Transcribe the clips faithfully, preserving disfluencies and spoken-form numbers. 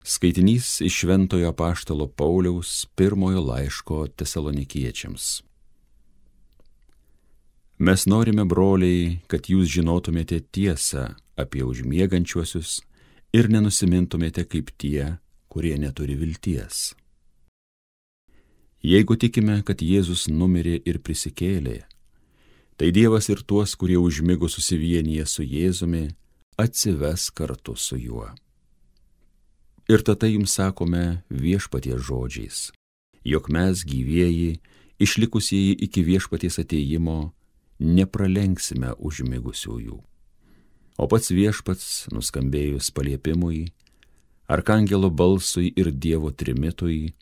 Skaitinys iš Šventojo apaštalo Pauliaus pirmojo laiško Tesalonikiečiams. Mes norime, broliai, kad jūs žinotumėte tiesą apie užmiegančiuosius ir nenusimintumėte kaip tie, kurie neturi vilties. Jeigu tikime, kad Jėzus numirė ir prisikėlė, tai Dievas ir tuos, kurie užmigo susivienyje su Jėzumi, atsives kartu su juo. Ir tada jums sakome viešpaties žodžiais, jog mes gyvieji, išlikusieji iki viešpaties atėjimo, nepralenksime užmigusiųjų. O pats viešpats, nuskambėjus paliepimui, arkangelo balsui ir Dievo trimitui,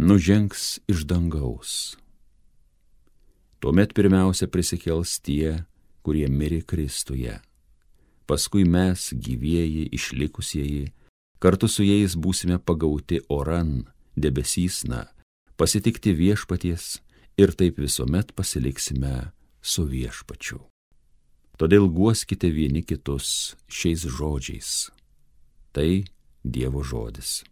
nužengs iš dangaus. Tuomet pirmiausia prisikels tie, kurie mirė Kristuje. Paskui mes, gyvieji, išlikusieji, kartu su jais būsime pagauti oran, debesysna, pasitikti viešpaties ir taip visuomet pasiliksime su viešpačiu. Todėl guoskite vieni kitus šiais žodžiais. Tai Dievo žodis.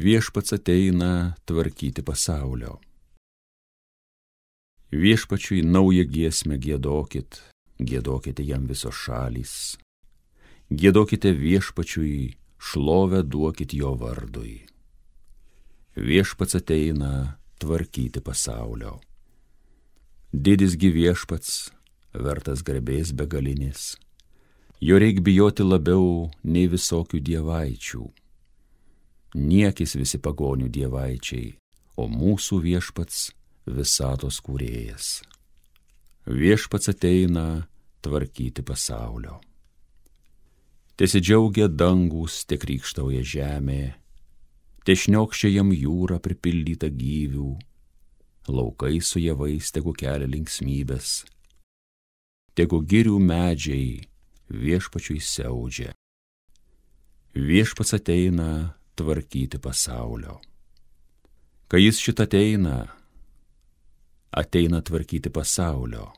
Viešpats ateina tvarkyti pasaulio. Viešpačiui naują giesmę giedokit, giedokite jam visos šalys. Giedokite viešpačiui, šlovę duokit jo vardui. Viešpats ateina tvarkyti pasaulio. Didis gi viešpats, vertas garbės begalinės. Jo reik bijoti labiau nei visokių dievaičių. Niekis visi pagonių dievaičiai, o mūsų viešpats visatos kūrėjas. Viešpats ateina tvarkyti pasaulio. Tesidžiaugia dangus, te krykštauja žemė, te šniokščia jam jūra pripildyta gyvių, laukai su javais tegu kelia linksmybės, tegu girių medžiai viešpačiui siaudžia. Viešpats ateina tvarkyti pasaulio. Kai jis šitą ateina, ateina tvarkyti pasaulio.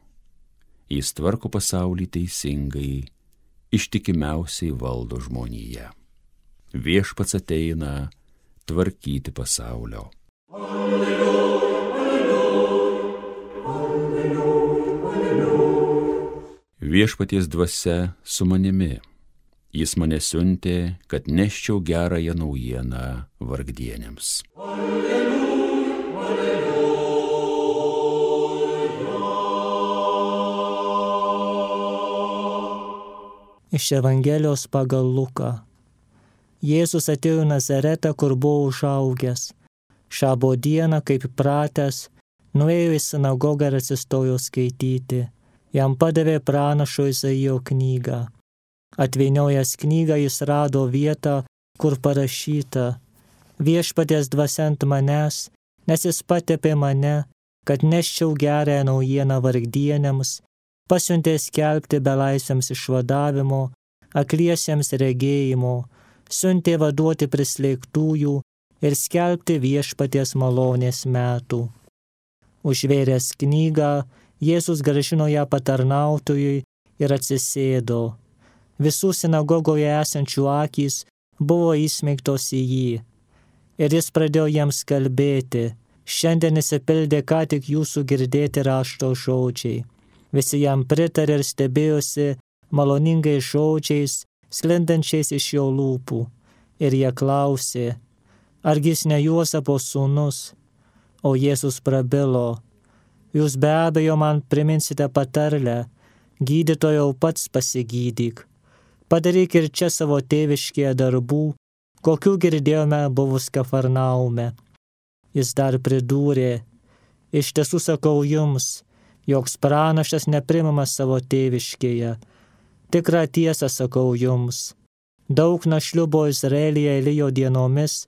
Jis tvarko pasaulį teisingai, ištikimiausiai valdo žmoniją. Viešpats ateina tvarkyti pasaulio. Alleluja, alleluja, alleluja, alleluja. Viešpaties dvasia su manimi. Jis mane siuntė, kad neščiau gerąją naujieną vargdienėms. Alleluja, alleluja. Iš Evangelijos pagal Luką. Jėzus atėjo į Nazaretą, kur buvo užaugęs. Šabo dieną, kaip pratęs, nuėjo į sinagogą ir atsistojo skaityti. Jam padavė pranašo Izaijo knygą. Atvyniojęs knygą jis rado vietą, kur parašyta: Viešpaties dvasia ant manęs, nes jis patepė mane, kad neščiau gerąją naujieną vargdienėms, pasiuntė skelbti belaisviams išvadavimo, akliesiems regėjimo, siuntė vaduoti prislėgtųjų ir skelbti viešpaties malonės metų. Užvėręs knygą, Jėzus grąžino ją patarnautojui ir atsisėdo. Visų sinagogoje esančių akys buvo įsmeigtos į jį. Ir jis pradėjo jiems kalbėti: šiandien įsipildė ką tik jūsų girdėti rašto žodžiai. Visi jam pritarė ir stebėjosi maloningais žodžiais, sklindančiais iš jo lūpų. Ir jie klausė: argi jis ne Juozapo sūnus? O Jėzus prabilo: jūs be abejo man priminsite patarlę: gydytojau, pats pasigydyk. Padaryk ir čia savo tėviškėje darbų, kokių girdėjome buvus Kafarnaume. Jis dar pridūrė: iš tiesų sakau jums, joks pranašas nepriimamas savo tėviškėje. Tikrą tiesą sakau jums. Daug našlių buvo Izraelyje Elijo dienomis,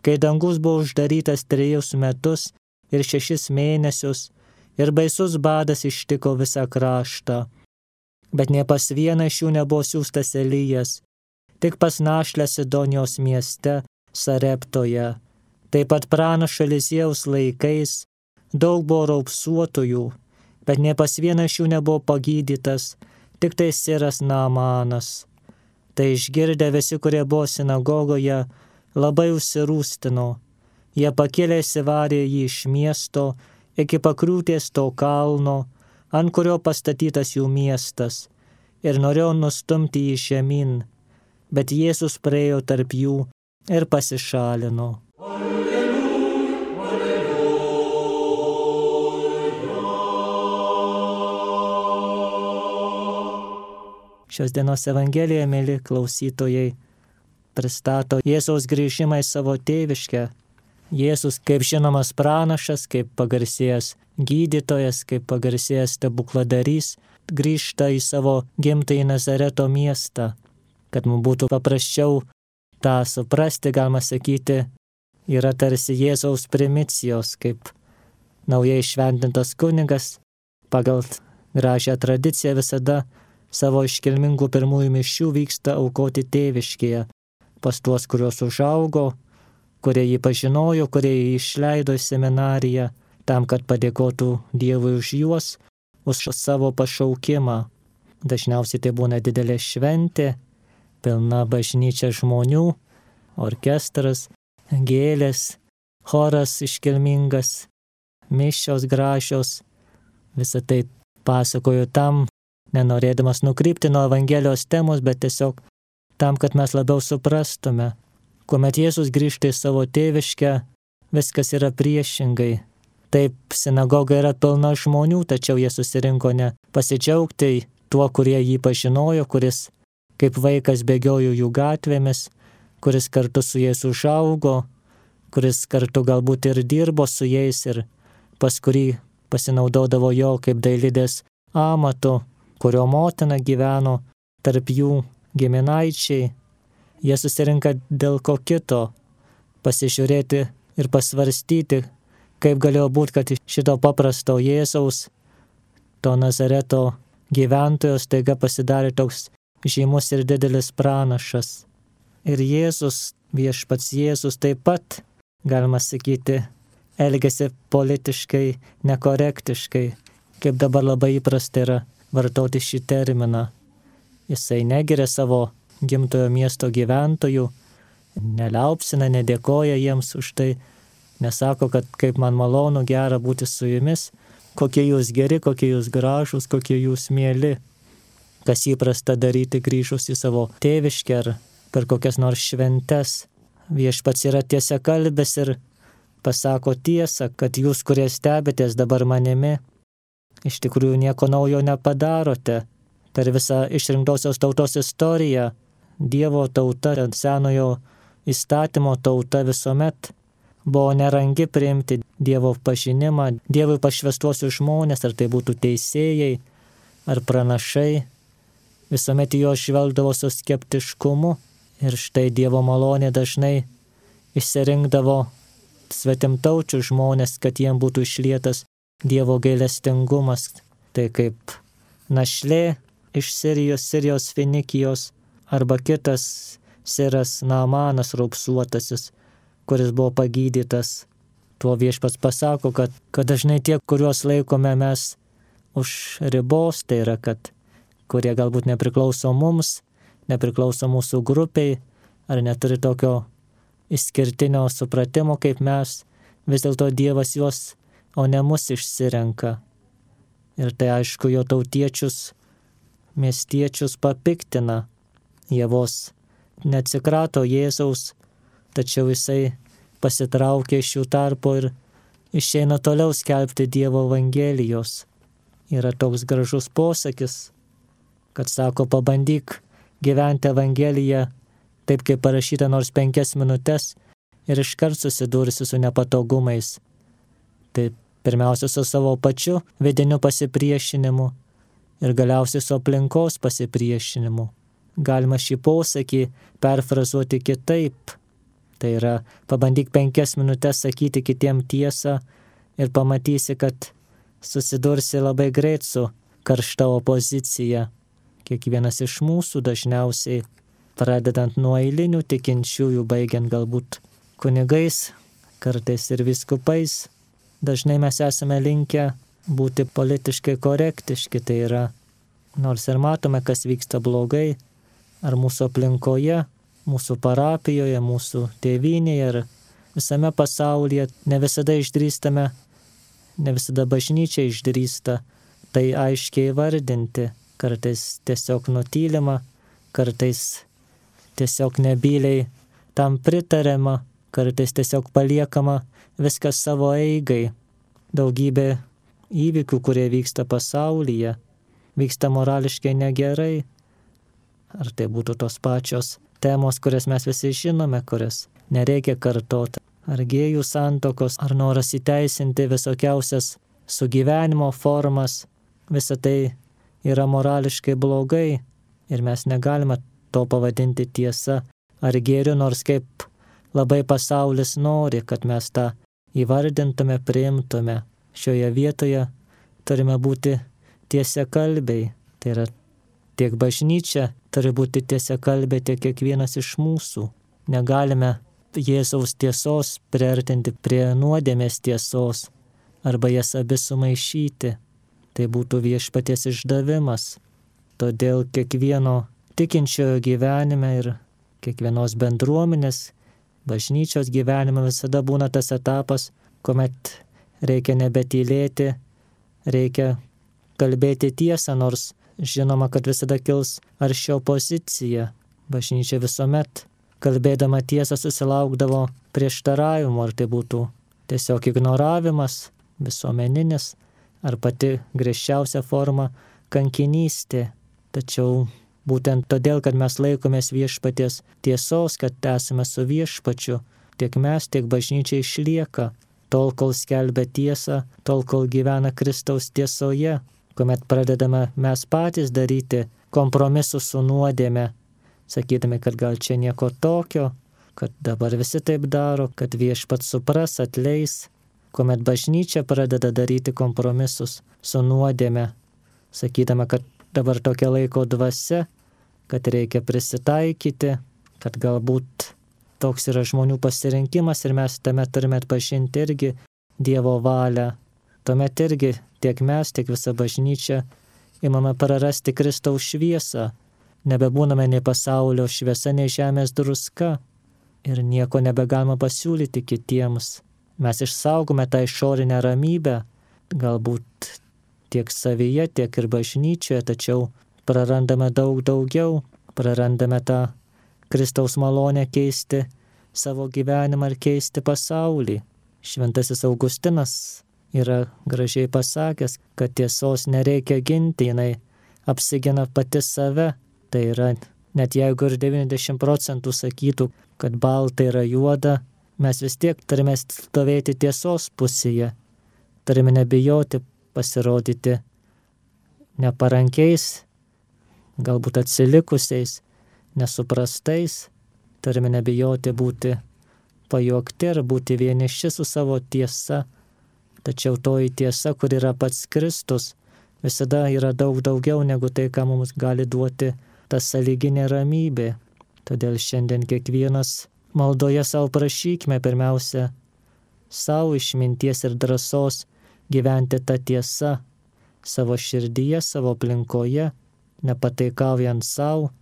kai dangus buvo uždarytas trejus metus ir šešis mėnesius, ir baisus badas ištiko visą kraštą. Bet ne pas vieną iš jų nebuvo siųstas Elijas, tik pas našlę Sidonijos mieste Sareptoje. Taip pat pranašo Eliziejaus laikais daug buvo raupsuotojų, bet ne pas vieną iš jų nebuvo pagydytas, tik tai siras Naamanas. Tai išgirdę visi, kurie buvo sinagogoje, labai užsirūstino. Jie pakėlė įsivarė jį iš miesto iki pakriūtės to kalno, ant kurio pastatytas jų miestas, ir norėjo nustumti jį žemyn, bet Jėzus praėjo tarp jų ir pasišalino. Šios dienos Evangelija, mėly klausytojai, pristato Jėzaus grįžimą į savo tėviškę. Jėzus kaip žinomas pranašas, kaip pagarsėjęs gydytojas, kaip pagarsėjęs stebukladarys, grįžta į savo gimtąjį Nazareto miestą. Kad mums būtų paprasčiau tą suprasti, galima sakyti, yra tarsi Jėzaus primicijos, kaip naujai šventintas kunigas, pagal gražią tradiciją visada savo iškilmingų pirmųjų mišių vyksta aukoti tėviškėje, pas tuos, kuriuos užaugo, kurie jį pažinojo, kurie jį išleido į seminariją, tam, kad padėkotų Dievui už juos, už savo pašaukimą. Dažniausiai tai būna didelė šventė, pilna bažnyčia žmonių, orkestras, gėlės, choras iškilmingas, mišios gražios. Visą tai pasakoju tam, nenorėdamas nukrypti nuo Evangelijos temos, bet tiesiog tam, kad mes labiau suprastume. Kuomet Jėzus grįžta į savo tėviškę, viskas yra priešingai. Taip, sinagoga yra pilna žmonių, tačiau jie susirinko ne pasidžiaugti tuo, kurie jį pažinojo, kuris kaip vaikas bėgiojo jų gatvėmis, kuris kartu su jais užaugo, kuris kartu galbūt ir dirbo su jais ir pas kurį pasinaudodavo jo kaip dailidės amatu, kurio motina gyveno tarp jų giminaičiai. Jie susirinka dėl ko kito, pasižiūrėti ir pasvarstyti, kaip galėjo būti, kad šito paprasto Jėzaus, to Nazareto gyventojo staiga pasidarė toks žymus ir didelis pranašas. Ir Jėzus, viešpats Jėzus taip pat, galima sakyti, elgiasi politiškai nekorektiškai, kaip dabar labai įprasta yra vartoti šį terminą. Jisai negiria savo gimtojo miesto gyventojų, neliaupsina, nedėkoja jiems už tai, nesako, kad kaip man malonu, gera būti su jumis, kokie jūs geri, kokie jūs gražūs, kokie jūs mieli, kas įprasta daryti grįžus į savo tėviškę ar per kokias nors šventes. Viešpats yra tiesiakalbis ir pasako tiesą, kad jūs, kurie stebitės dabar manimi, iš tikrųjų nieko naujo nepadarote. Per visą išrinktosios tautos istoriją Dievo tauta, senojo įstatymo tauta visuomet buvo nerangi priimti Dievo pažinimą, Dievui pašvęstuosius žmonės, ar tai būtų teisėjai, ar pranašai, visuomet jo žvelgdavo su skeptiškumu ir štai Dievo malonė dažnai išsirinkdavo svetimtaučių žmonės, kad jiem būtų išlietas Dievo gailestingumas. Tai kaip našlė iš Sirijos, Sirijos Finikijos, arba kitas siras Naamanas raupsuotasis, kuris buvo pagydytas. Tuo viešpats pasako, kad, kad dažnai tie, kuriuos laikome mes už ribos, tai yra, kad kurie galbūt nepriklauso mums, nepriklauso mūsų grupiai, ar neturi tokio išskirtinio supratimo kaip mes, vis dėlto Dievas juos, o ne mus išsirenka. Ir tai aišku, jo tautiečius, miestiečius papiktina. Jie vos neatsikrato Jėzaus, tačiau jisai pasitraukė iš jų tarpo ir išeina toliau skelbti Dievo Evangelijos. Yra toks gražus posakis, kad sako, pabandyk gyventi Evangeliją taip, kaip parašyta nors penkias minutes ir iškart susidursi su nepatogumais. Tai pirmiausia su savo pačiu vidiniu pasipriešinimu ir galiausiai su aplinkos pasipriešinimu. Galima šį posakį perfrazuoti kitaip. Tai yra, pabandyk penkias minutes sakyti kitiem tiesą ir pamatysi, kad susidursi labai greit su karšta opozicija. Kiekvienas iš mūsų dažniausiai, pradedant nuo eilinių tikinčiųjų, baigiant galbūt kunigais, kartais ir vyskupais, dažnai mes esame linkę būti politiškai korektiški, tai yra, nors ir matome, kas vyksta blogai, ar mūsų aplinkoje, mūsų parapijoje, mūsų tėvynėje ir visame pasaulyje, ne visada išdrįstame, ne visada bažnyčia išdrįsta tai aiškiai vardinti, kartais tiesiog nutylima, kartais tiesiog nebyliai tam pritariama, kartais tiesiog paliekama viskas savo eigai. Daugybė įvykių, kurie vyksta pasaulyje, vyksta morališkai negerai. Ar tai būtų tos pačios temos, kurias mes visi žinome, kurias nereikia kartoti. Ar gėjų santokos, ar noras įteisinti visokiausias sugyvenimo formas. Visa tai yra morališkai blogai ir mes negalime to pavadinti tiesa ar gėriu, nors kaip labai pasaulis nori, kad mes tą įvardintume, priimtume. Šioje vietoje turime būti tiesiakalbiai. Tai yra tiek bažnyčia turi būti tiesiakalbė, tiek kiekvienas iš mūsų. Negalime Jėzaus tiesos priartinti prie nuodėmės tiesos arba jas abi sumaišyti. Tai būtų viešpaties išdavimas. Todėl kiekvieno tikinčiojo gyvenime ir kiekvienos bendruomenės, bažnyčios gyvenime visada būna tas etapas, kuomet reikia nebetylėti, reikia kalbėti tiesą, nors žinoma, kad visada kils arši opozicija. Bažnyčia visuomet kalbėdama tiesą susilaukdavo prieštaravimo, ar tai būtų tiesiog ignoravimas, visuomeninis, ar pati griežčiausia forma kankinystė. Tačiau būtent todėl, kad mes laikomės viešpaties tiesos, kad esame su viešpačiu, tiek mes, tiek bažnyčia išlieka, tol kol skelbia tiesą, tol kol gyvena Kristaus tiesoje, kuomet pradedame mes patys daryti kompromisus su nuodėme, sakydami, kad gal čia nieko tokio, kad dabar visi taip daro, kad viešpats supras, atleis, kuomet bažnyčia pradeda daryti kompromisus su nuodėme, sakydama, kad dabar tokia laiko dvasia, kad reikia prisitaikyti, kad galbūt toks yra žmonių pasirinkimas ir mes tame turime atpažinti irgi Dievo valią. Tuomet irgi tiek mes, tiek visa bažnyčia imame prarasti Kristaus šviesą, nebebūname nei pasaulio šviesa, nei žemės druska ir nieko nebegalima pasiūlyti kitiems. Mes išsaugome tą išorinę ramybę, galbūt tiek savyje, tiek ir bažnyčioje, tačiau prarandame daug daugiau, prarandame tą Kristaus malonę keisti savo gyvenimą ir keisti pasaulį. Šventasis Augustinas yra gražiai pasakęs, kad tiesos nereikia ginti, jinai apsigina pati save. Tai yra, net jeigu ir devyniasdešimt procentų sakytų, kad balta yra juoda, mes vis tiek turime stovėti tiesos pusėje. Turime nebijoti pasirodyti neparankiais, galbūt atsilikusiais, nesuprastais. Turime nebijoti būti pajuokti ar būti vieniši su savo tiesa. Tačiau toji tiesa, kur yra pats Kristus, visada yra daug daugiau negu tai, ką mums gali duoti ta sąlyginė ramybė. Todėl šiandien kiekvienas maldoje savo prašykime pirmiausia savo išminties ir drąsos gyventi tą tiesą savo širdyje, savo aplinkoje, nepataikaujant savo,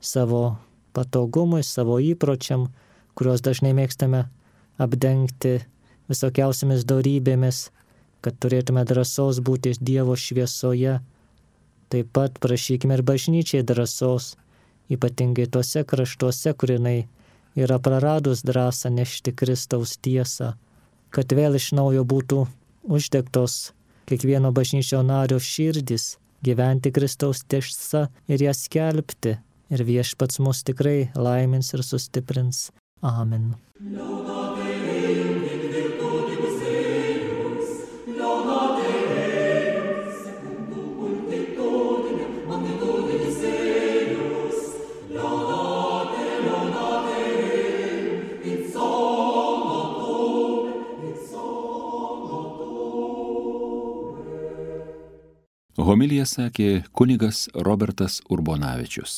savo patogumui, savo įpročiam, kuriuos dažnai mėgstame apdengti visokiausiamis dorybėmis, kad turėtume drąsos būti Dievo šviesoje. Taip pat prašykime ir bažnyčiai drąsos, ypatingai tuose kraštuose, kur jinai yra praradus drąsą nešti Kristaus tiesą, kad vėl iš naujo būtų uždegtos kiekvieno bažnyčio nario širdis, gyventi Kristaus tiesą ir ją skelbti. Ir viešpats mus tikrai laimins ir sustiprins. Amen. Homiliją sakė kunigas Robertas Urbonavičius.